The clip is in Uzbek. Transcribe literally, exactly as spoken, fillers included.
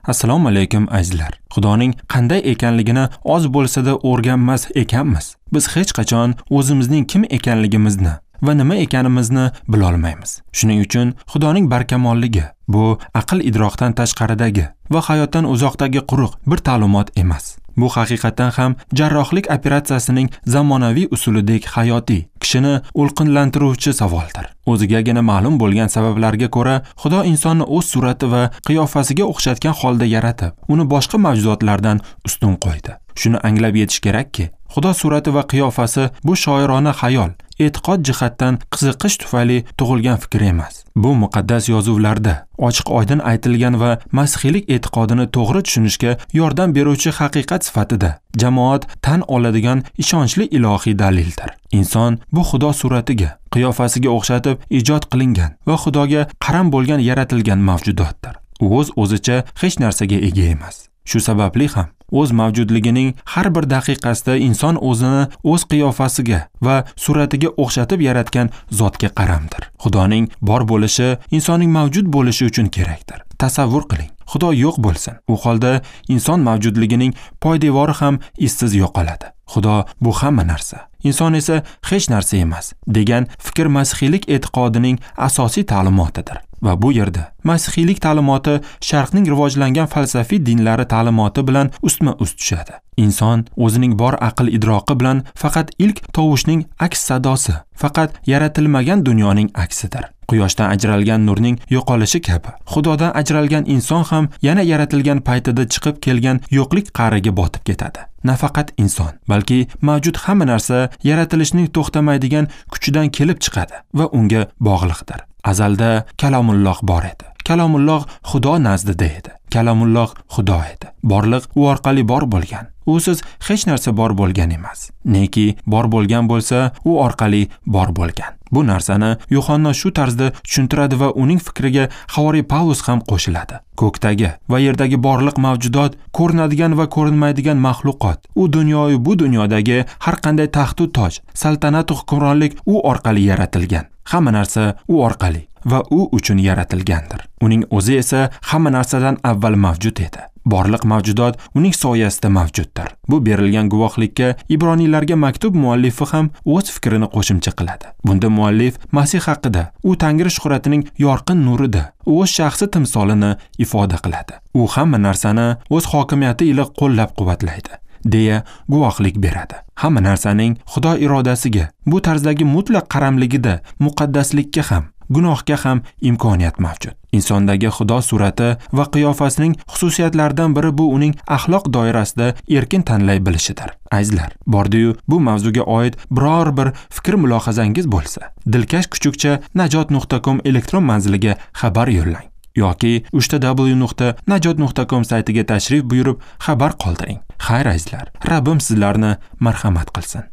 Assalomu alaykum azizlar. Xudoning qanday ekanligini oz bo'lsa-da o'rganmas ekanmiz. Biz hech qachon o'zimizning kim ekanligimizni va nima ekanimizni bila olmaymiz. Shuning uchun Xudoning barkamolligi bu aql idrokdan tashqaridagi va hayotdan uzoqdagi quruq bir ta'limot emas. Bu haqiqatan ham jarrohlik operatsiyasining zamonaviy usulidek hayotiy, kishini o'lqinlantiruvchi savoldir. O'zigagina ma'lum bo'lgan sabablarga ko'ra, Xudo insonni o'z surati va qiyofasiga o'xshatgan holda yaratib, uni boshqa mavjudotlardan ustun qo'ydi. Shuni anglab yetish kerakki, Xudo surati va qiyofasi bu shoirona xayol, e'tiqod jihatdan qiziqish tufayli tug'ilgan fikr emas. Bu muqaddas yozuvlarda ochiq oydin aytilgan va masihiylik e'tiqodini to'g'ri tushunishga yordam beruvchi haqiqat sifatida jamoat tan oladigan ishonchli ilohiy dalildir. Inson bu Xudo suratiga, qiyofasiga o'xshatib ijod qilingan va Xudoga qaram bo'lgan yaratilgan mavjudotdir. U o'z o'zicha hech narsaga ega emas. Shu sababli ham o'z mavjudligining har bir daqiqasida inson o'zini o'z qiyofasiga va suratiga o'xshatib yaratgan zotga qaramdir. Xudoning bor bo'lishi insonning mavjud bo'lishi uchun kerakdir. Tasavvur qiling, Xudo yo'q bo'lsin. U holda inson mavjudligining poydevori ham izsiz yo'qoladi. Xudo bu hamma narsa, inson esa hech narsa emas degan fikr masihiylik e'tiqodining asosiy ta'limotidir. Va bu yerda masihiylik ta'limoti sharqning rivojlangan falsafiy dinlari ta'limoti bilan ustma-ust tushadi. Inson o'zining bor aql idroqi bilan faqat ilk tovushning aks sadosi, faqat yaratilmagan dunyoning aksidir. Quyoshdan ajralgan nurning yo'qolishi kabi, Xudodan ajralgan inson ham yana yaratilgan paytida chiqib kelgan yo'qlik qa'riga botib ketadi. Nafaqat inson, balki mavjud hamma narsa yaratilishning to'xtamaydigan kuchidan kelib chiqadi va unga bog'liqdir. Azalda Kalomulloh bor edi. Kalomulloh Xudo nazdida edi. Kalomulloh Xudo edi. Borliq u orqali bor bo'lgan. Usiz hech narsa bor bo'lgan emas. Neki bor bo'lgan bo'lsa, u orqali bor bo'lgan. Bu narsani Yuhanna shu tarzda tushuntiradi va uning fikriga Havoriy Pavlus ham qo'shiladi. Ko'kdagi va yerdagi borliq mavjudot, ko'rinadigan va ko'rinmaydigan maxluqot, u dunyoyu bu dunyodagi har qanday taxtu toj, saltanat va hukmronlik u orqali yaratilgan. Hamma narsa u orqali va u uchun yaratilgandir. Uning o'zi esa hamma narsadan avval mavjud edi. Borliq mavjudot uning soyasida mavjuddir. Bu berilgan guvohlikka Ibroniylarga maktub muallifi ham o'z fikrini qo'shimcha qiladi. Bunda muallif Masih haqida, u Tangri shuhratining yorqin nurida, o'z shaxsi timsolini ifoda qiladi. U hamma narsani o'z hokimiyati ila qo'llab-quvvatlaydi deya guvohlik beradi. Hamma narsaning Xudo irodasiga, bu tarzdagi mutlaq qaramligida muqaddaslikka ham, gunohga ham imkoniyat mavjud. Insondagi Xudo surati va qiyofasining xususiyatlaridan biri bu uning axloq doirasida erkin tanlay bilishidir. Azizlar, bordi-yu bu mavzuga oid biror bir fikr mulohazangiz bo'lsa, dilkash kuchukcha najot nuqta com elektron manziliga xabar yo'llang yoki uchta w nuqta najot nuqta com saytiga tashrif buyurib xabar qoldiring. Xayr azizlar, Rabbim sizlarni marhamat qilsin.